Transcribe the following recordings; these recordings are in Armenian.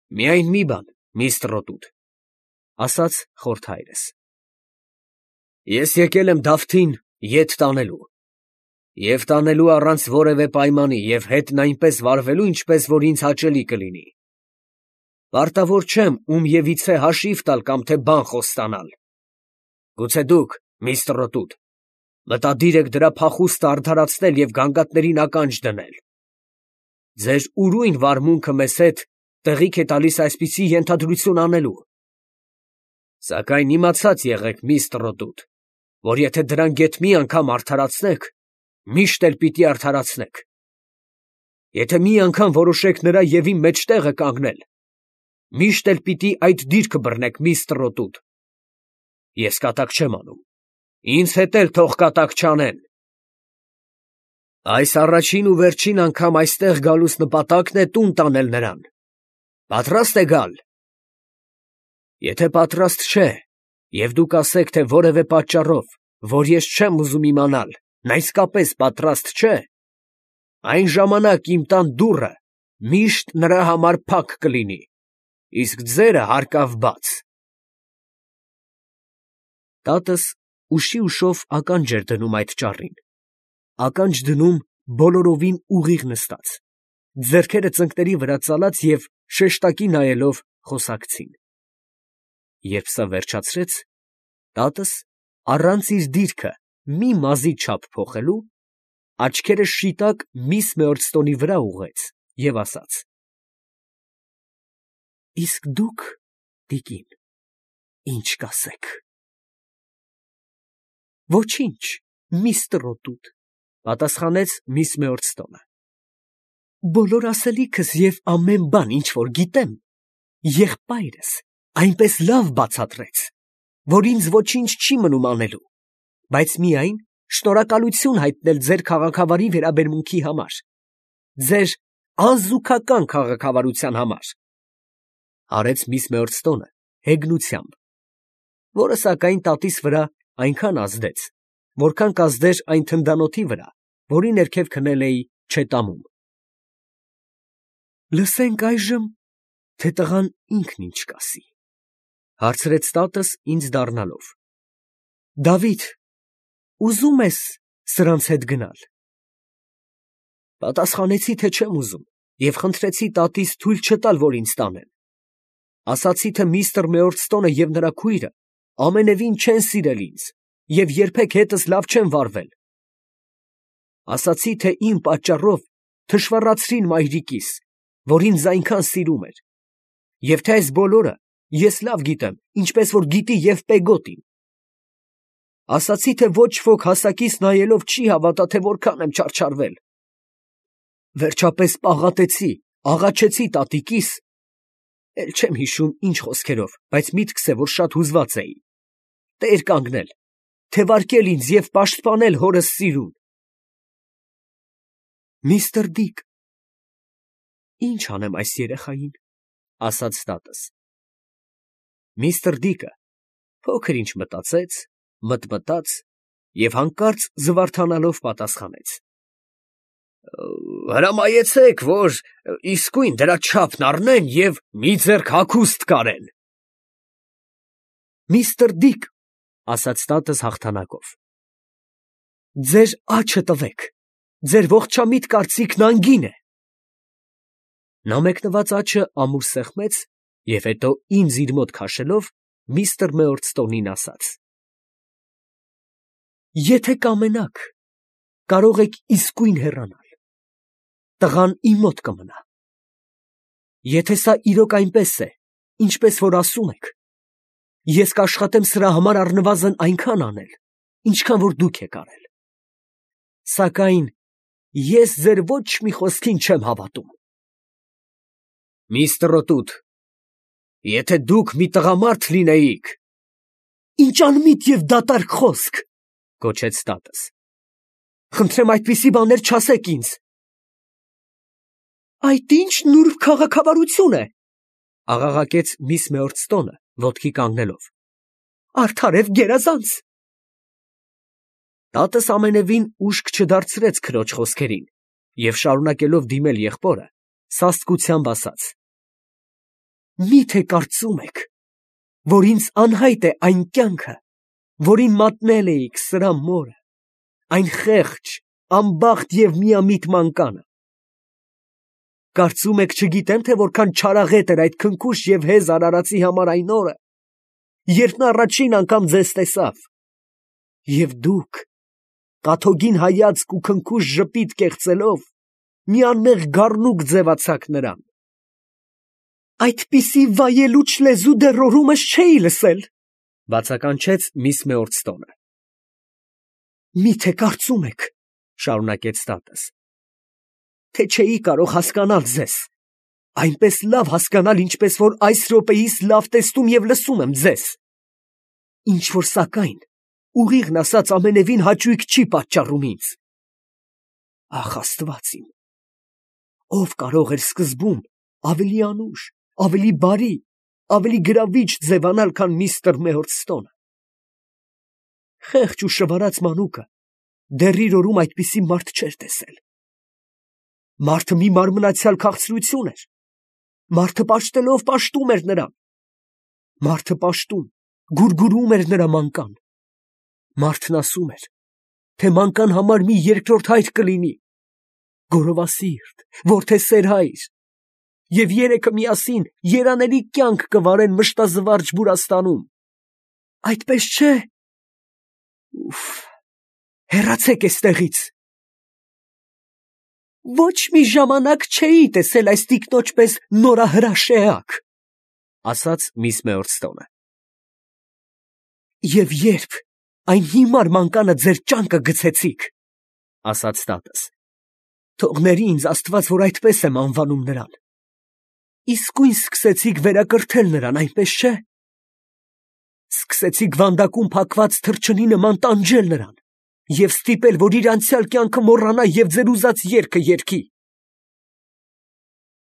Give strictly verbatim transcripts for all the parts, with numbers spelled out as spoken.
Միայն մի բան, միստր Ռոտութ, ասաց խորթ հայրս. ես եկել եմ Դավթին ետ տանելու, և տանելու առանց որևէ պայմանի և հետն այնպես վարվելու, ինչպես որ ինձ հաճելի կլինի. պարտավոր չեմ ում ևիցե հաշիվ տալ կամ թե բան խոստանալ. գուցե դուք, միստր Ռոտութ, մտադիր եք դրա փախուստը արդարացնել և գանգատներին ականջ դնել. ձեր ուրույն վարմունքը մեզ հետ տեղիք է տալիս այսպիսի ենթադրություն անելու. սակայն իմացած եղեք, միստր Ռոտութ, որ եթե դրան գեթ մի անգամ արդարացնեք, միշտ էլ պիտի արդարացնեք. եթե մի անգամ որոշեք նրա և իմ մեջտեղը կանգնել, միշտ էլ պիտի այդ դիրքը բռնեք, միստր Ռոտութ. ես կատակ չեմ անում, ինձ հետ էլ թող կատակ չանեն. այս առաջին ու վերջին անգամ այստեղ գալուս նպատակն է տուն տանել նրան. պատրա՞ստ է գալ. եթե պատրաստ չէ, և դուք ասեք, թե որևէ պատճառով, որ ես չեմ ուզում իմանալ, նա իսկապես պատրաստ չէ, այն ժամանակ իմ տան դուռը միշտ նրա համար փակ կլինի, իսկ ձերը հարկավ բաց։ Տատս ուշի ուշով ականջ էր դնում այդ ճառին, ականջ դնում բոլորովին ուղիղ նստած, ձեռքերը ծնկների վրա ծալած և շեշտակի նայելով խոսակցին։ Երբ սա վերջացրեց, տատս, առանց իր դիրքը մի մազի չափ փոխելու, աչքերը շիտակ միս Մեորդստոնի վրա ուղղեց և ասաց. իսկ դուք, տիկին, ի՞նչ կասեք։ Ոչինչ, միստր Ռոտութ, պատասխանեց միս Մեորդստոնը. բոլոր ասելիքս և ամեն բան, ինչ որ գիտեմ, եղբայրս այնպես լավ բացատրեց, որ ինձ ոչինչ չի մնում անելու, բայց միայն շնորհակալություն հայտնել ձեր քաղաքավարի վերաբերմունքի համար, ձեր անզուգական քաղաքավարության համար, արեց միս Մեորդստոնը հեգնությամբ, որը սակայն տատիս վրա այնքան ազդեց, որքան կազդեր այն թնդանոթի վրա, որի ներքև քնել էի չետամում։ Լսենք այժմ, թե տղան ինքն ինչ կասի, հարցրեց տատս ինձ դառնալով. Դավիթ, ուզո՞ւմ ես սրանց հետ գնալ։ Պատասխանեցի, թե չեմ ուզում, և խնդրեցի տատիս թույլ չտալ, որ ինձ տանեն։ Ասացի, թե միստր Մեորդստոնը և նրա քույրը ամենևին չեն սիրել ինձ և երբեք հետս լավ չեն վարվել։ Ասացի, թե իմ պատճառով թշվառացրին մայրիկիս, որ ինձ այնքան սիրում էր, և թե այս բոլորը ես լավ գիտեմ, ինչպես որ գիտի և Պեգոտին։ Ասացի, թե ոչ ոք հասակիս նայելով չի հավատա, թե որքան եմ չարչարվել։ Վերջապես պաղատեցի, աղաչեցի տատիկիս, էլ չեմ հիշում ինչ խոսքերով, բայց միտքս է, որ շատ հուզված էի, տեր կանգնել, թևարկել ինձ և պաշտպանել հորս սիրուն։ Միստր Դիկ, ի՞նչ անեմ այս երեխային, ասաց տատս։ Միստր Դիկը փոքր ինչ մտածեց, մտմտաց և հանկարծ զվարթանալով պատասխանեց. Հրամայեցեք, որ իսկույն դրա չափն առնեն և մի ձեռք հագուստ կարեն։ Միստր Դիկ, ասաց տատս հաղթանակով, ձեր աջը տվեք, ձեր ողջամիտ կարծիքն անգին է։ Նա մեկնված աջը ամուր սեղմեց և հետո ինձ իր մոտ քաշելով միստր Մեորդստոնին ասաց. Եթե կամենաք, կարող եք իսկույն հեռանալ, տղան իմ մոտ կմնա։ Եթե սա իրոք այնպես է, ինչպես որ ասում եք, ես կաշխատեմ սրա համար առնվազն այնքան անել, ինչքան որ դուք եք արել։ Սակայն ես ձեր ոչ մի խոսքին չեմ հավատում։ Միստր Ռոտութ, եթե դուք մի տղամարդ լինեիք… Ինչ անմիտ և դատարկ խոսք, գոչեց տատս։ Խնդրեմ այդպիսի բաներ չասեք ինձ։ Այդ ի՞նչ նուրբ քաղաքավարություն է, աղաղակեց միս Մեորդստոնը, ոտքի կանգնելով։ Արդար և գերազանց։ Տատս ամենևին ուշք չդարձրեց քրոջ խոսքերին և շարունակելով դիմել եղբորը, սաստկությամբ ասաց. Մի՞թե կարծում եք, որ ինձ անհայտ է այն կյանքը, որին մատնել էիք սրա մորը, այն խեղճ, անբախտ և միամիտ մանկանը։ Կարծում եք չգիտեմ, թե որքան չարաղետ էր այդ քնքուշ և հեզ արարածի համար այն օրը, երբ նա առաջին անգամ ձեզ տեսավ, և դուք, կաթոգին հայացք ու քնքուշ ժպիտ կեղծելով, մի անմեղ գառնուկ ձևացաք նրան։ Այդպիսի վայելուչ լեզու դեռ օրումս չէի լսել, բացականչեց միս Մեորցտոնը։ Մի՞թե կարծում եք, շարունակեց տատս, թե չէի կարող հասկանալ ձեզ, այնպես լավ հասկանալ, ինչպես որ այս րոպեիս լավ տեսնում և լսում եմ ձեզ, ինչ որ սակայն, ուղիղն ասած, ամենևին հաճույք չի պատճառում ինձ։ Ախ, Աստված իմ, ով կարող էր սկզբում ավելի անուշ, ավելի բարի, ավելի գրավիչ ձևանալ, քան միստր Մեորցտոնը։ Խեղճ ու շվարած մանուկը դեռ իր օրում այդպիսի մարդ չէր տեսել։ Մարդը մի մարմնացյալ քաղցրություն էր, մարդը պաշտելով պաշտում էր նրան, մարդը պաշտում, գուրգուրում էր նրա մանկան, մարդն ասում էր, թե մանկան համար մի երկրորդ հայր կլինի, գորովասիրտ, որդեսեր հայր, և երեքը միասին երանելի կյանք կվարեն մշտազվարճ Բուրաստանում։ Այդպես չէ։ Ուֆ, հեռացեք էստեղից։ Ոչ մի ժամանակ չէի տեսել այս տիկնոջ պես նորահրաշ էակ, ասաց միս Մեորցտոնը։ Եվ երբ այն հիմար մանկանը ձեր ճանկը գցեցիք, ասաց տատս, թողների ինձ Աստված, որ այդպես եմ անվանում նրան, իսկույն սկսեցիք վերակրթել նրան, այնպես չէ։ Սկսեցիք վանդակում փակված թռչնի նման տանջել նրան և ստիպել, որ իր անցյալ կյանքը մոռանա և ձեր ուզած երգը երգի։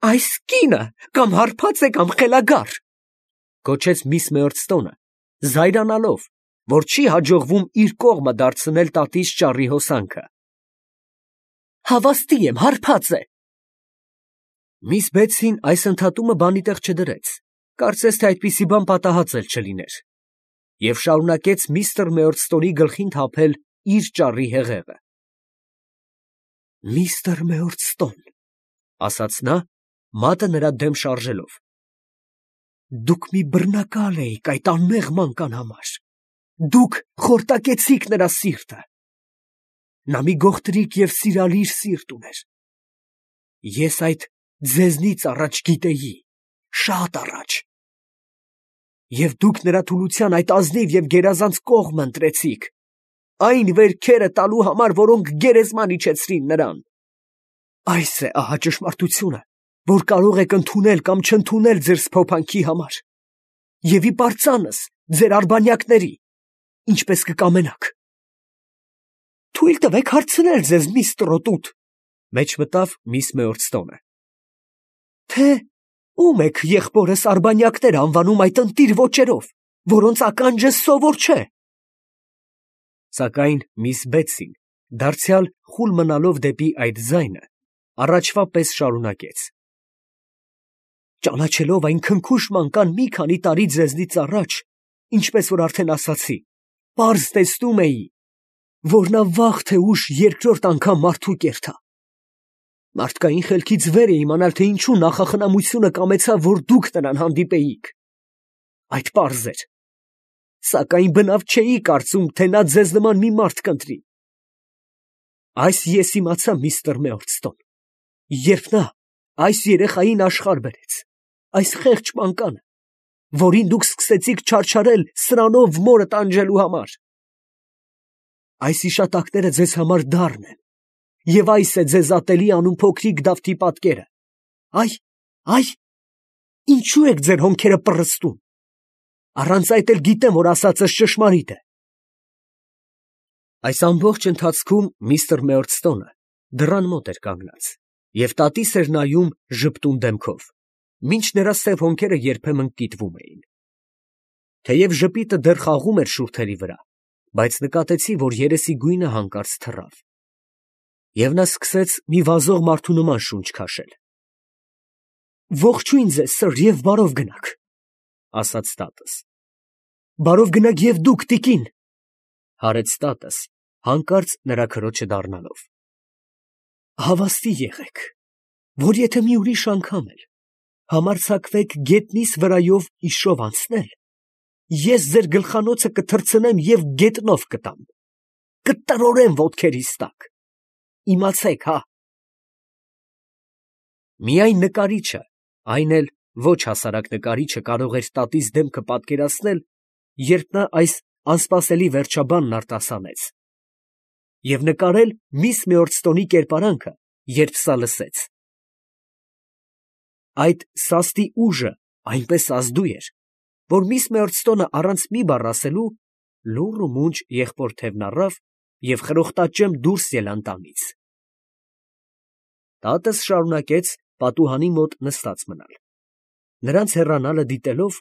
Այս կինը կամ հարբած է, կամ խելագար, գոչեց միս Մեորցտոնը, զայրանալով, որ չի հաջողվում իր կողմը դարձնել տատիս ճառի հոսանքը։ Հավաստի եմ, հարբած է։ Միս Բեթսին այս ընդհատումը բանի տեղ չդրեց, կարծես թե այդպիսի բան պատահած էլ չլիներ, և շարունակեց միստր Մեորցտոնի գլխին թափել իր ճառի հեղեղը։ Միստր Մեորցտոն, ասաց նա, մատը նրա դեմ շարժելով, դուք մի բռնակալ էիք այդ անմեղ մանկան համար, դուք խորտակեցիք նրա սիրտը, նա մի գողտրիկ և սիրալիր սիրտ ուներ, ես այդ ձեզնից առաջ գիտեի, շատ առաջ, և դուք նրա թուլության այդ ազնիվ և գերազանց կողմը ընտրեցիք, այն վերքերը տալու համար, որոնք գերեզման իջեցրին նրան։ Այս է ահա ճշմարտությունը, որ կարող եք ընդունել կամ չընդունել ձեր սփոփանքի համար, և ի պարծանս ձեր արբանյակների, ինչպես կկամենաք։ Թույլ տվեք հարցնել ձեզ, միս Տրոտուտ, մեջ մտավ միս Մեորցտոնը, թե ում եք եղբորս արբանյակներ անվանում այդ ընտիր ոճերով, որոնց ականջը սովոր չէ։ Սակայն միս Բեթսին, դարձյալ խուլ մնալով դեպի այդ ձայնը, առաջվա պես շարունակեց. Ճանաչելով այն քնքուշ մանկան մի քանի տարի ձեզնից առաջ, ինչպես որ արդեն ասացի, պարզ տեսնում էի, որ նա վաղ թե ուշ երկրորդ անգամ մարդու կերտա։ Մարդկային խելքից վեր է իմանալ, թե ինչու նախախնամությունը կամեցավ, որ դուք նրան հանդիպեիք։ Այդ պարզ էր, սակայն բնավ չէի կարծում, թե նա ձեզ նման մի մարդ կընտրի։ Այս ես իմացա, միստր Մեորցտոն, երբ նա այս երեխային աշխարհ բերեց, այս խեղճ մանկանը, որին դուք սկսեցիք չարչարել սրանով մորը տանջելու համար։ Այս հիշատակները ձեզ համար դառն են, և այս է ձեզ ատելի անում փոքրիկ Դավթի պատկերը։ Այ, այ, ինչու եք ձեր հոնքերը պռստում։ Առանց այդ էլ գիտեմ, որ ասածս ճշմարիտ է։ Այս ամբողջ ընթացքում միստր Մեորցտոնը դռան մոտ էր կանգնած և տատիս էր նայում ժպտուն դեմքով, մինչ նրա սև հոնքերը երբեմն կիտվում էին։ Թեև ժպիտը դեռ խաղում էր շուրթերի վրա, բայց նկատեցի, որ երեսի գույնը հանկարծ թռավ, և նա սկսեց մի վազող մարդու նման շունչ քաշել։ Ողջույն ձեզ, սըր, և բարով գնաք, ասաց տատս։ Բարով գնաք և դուք, տիկին, հարեց տատս, հանկարծ նրա քրոջը դառնալով։ Հավաստի եղեք, որ եթե մի ուրիշ անգամ էլ համարձակվեք գետնիս վրայով իշով անցնել, ես ձեր գլխանոցը կթռցնեմ և գետնով կտամ, կտրորեմ ոտքերիս տակ, իմացեք, հա։ Միայն նկարիչը, այն էլ ոչ հասարակ նկարիչը կարող էր տատիս դեմքը պատկերացնել, երբ նա այս անսպասելի վերջաբանն արտասանեց, և նկարել միս Մեորցտոնի կերպարանքը, երբ սա լսեց։ Այդ սաստի ուժը այնպես ազդու էր, որ միս Մեորցտոնը առանց մի բառ ասելու լուռ ու մունջ եղբոր թևն առավ և խրոխտաճեմ դուրս ելան տանից։ Տատս շարունակեց պատուհանի մոտ նստած մնալ, նրանց հեռանալը դիտելով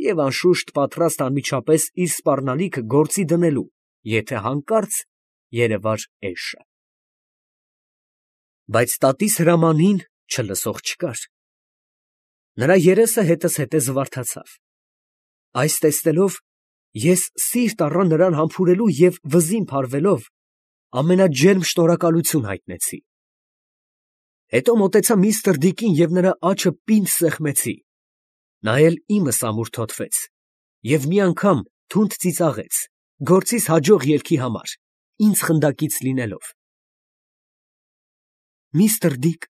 և անշուշտ պատրաստ անմիջապես իր սպառնալիքը գործի դնելու, եթե հանկարծ երևար էշը։ Բայց տատիս հրամանին չլսող չկար։ Նրա երեսը հետզհետե զվարթացավ։ Այս տեսնելով ես սիրտ առա նրան համբուրելու և վզին փարվելով ամենաջերմ շնորհակալություն հայտնեցի։ Հետո մոտեցա միստր Դիկին և նրա աջը պինդ սեղմեցի, նա էլ իմս ամուրթոթվեց և մի անգամ թունդ ծիծաղեց, գործիս հաջող ելքի համար, ինձ խնդակից լինելով։ Միստր Դիկ,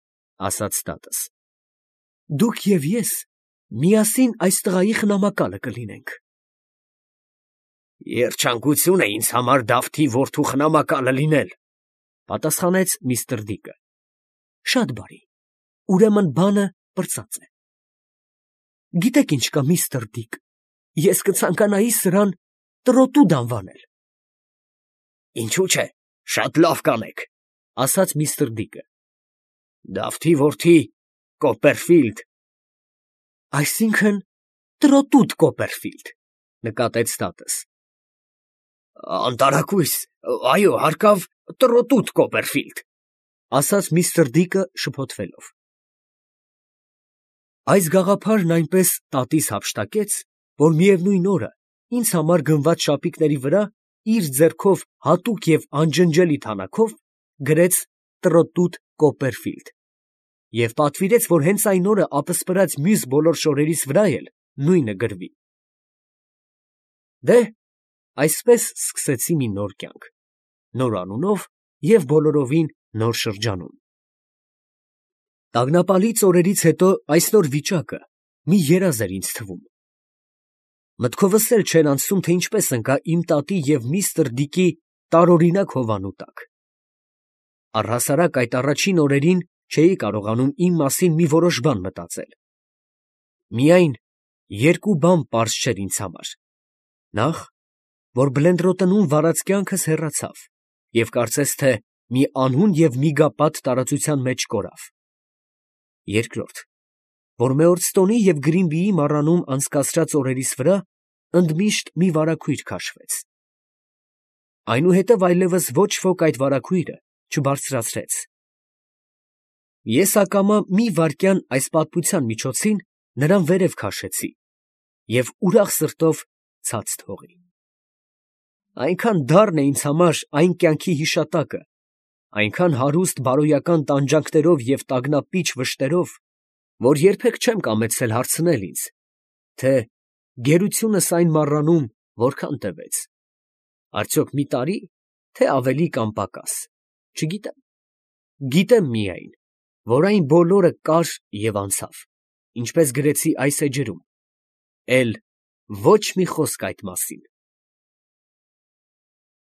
ասաց տատս, դուք և ես միասին այս տղայի խնամակալը կլինենք։ Երջանկություն է ինձ համար Դավթի որդու խնամակալը լինել, պատասխանեց միստր Դիկը։ Շատ բարի, ուրեմն բանը պրծած է։ Գիտեք ինչ կա, միստր Դիկ, ես կցանկանայի սրան տրոտուդ անվանել։ Ինչու՞ չէ, շատ լավ կանեք, ասաց միստր Դիկը։ Դավթի որդի Կոպերֆիլդ։ Այսինքն տրոտուդ Կոպերֆիլդ, նկատեց տատս։ Անտարակույս, այո, հարկավ տրոտուդ Կոպերֆիլդ, ասաց միստր Դիկը շփոթվելով։ Այս գաղափարն այնպես տատիս հափշտակեց, որ միևնույն օրը ինձ համար գնված շապիկների վրա իր ձեռքով հատուկ և անջնջելի թանաքով գրեց Տրոտուդ Կոպերֆիլդ և պատվիրեց, որ հենց այն օրը ապսպրած մյուս բոլոր շորերիս վրա էլ նույնը գրվի։ Դե՛, այսպես սկսեցի մի նոր կյանք, նոր անունով և բոլորովին նոր շրջանում։ Տագնապալից օրերից հետո այս նոր վիճակը մի երազ էր ինձ թվում։ Մտքովս էլ չէր անցնում, թե ինչպես ընկա իմ տատի և միստր Դիկի տարօրինակ հովանու տակ։ Առհասարակ այդ առաջին օրերին չէի կարողանում իմ մասին մի որոշ բան մտածել։ Միայն երկու բան պարզ չէր ինձ համար. նախ, որ Բլենդրոտնում վարած կյանքս հեռացավ և կարծես թե մի անհուն և միգապատ տարածության մեջ կորավ. երկրորդ, որ Մեորցտոնի և Գրինբիի մառանում անցկացրած օրերիս վրա ընդմիշտ մի վարագույր քաշվեց։ Այնուհետև այլևս ոչ ոք այդ վարագույրը չբարձրացրեց։ Ես ակամա մի վայրկյան այս պատմության միջոցին նրան վերև քաշեցի և ուրախ սրտով ցած թողի։ Այնքան դառն է ինձ համար այն կյանքի հիշատակը, այնքան հարուստ բարոյական տանջանքներով և տագնապիչ վշտերով, որ երբեք չեմ կամեցել հարցնել ինձ, թե գերությունս այն մառանում որքան տևեց, արդյոք մի տարի, թե ավելի կամ պակաս, չգիտեմ, գիտեմ միայն, որ այն բոլորը կար և անցավ, ինչպես գրեցի այս էջերում, էլ ոչ մի խոսք այդ մասին։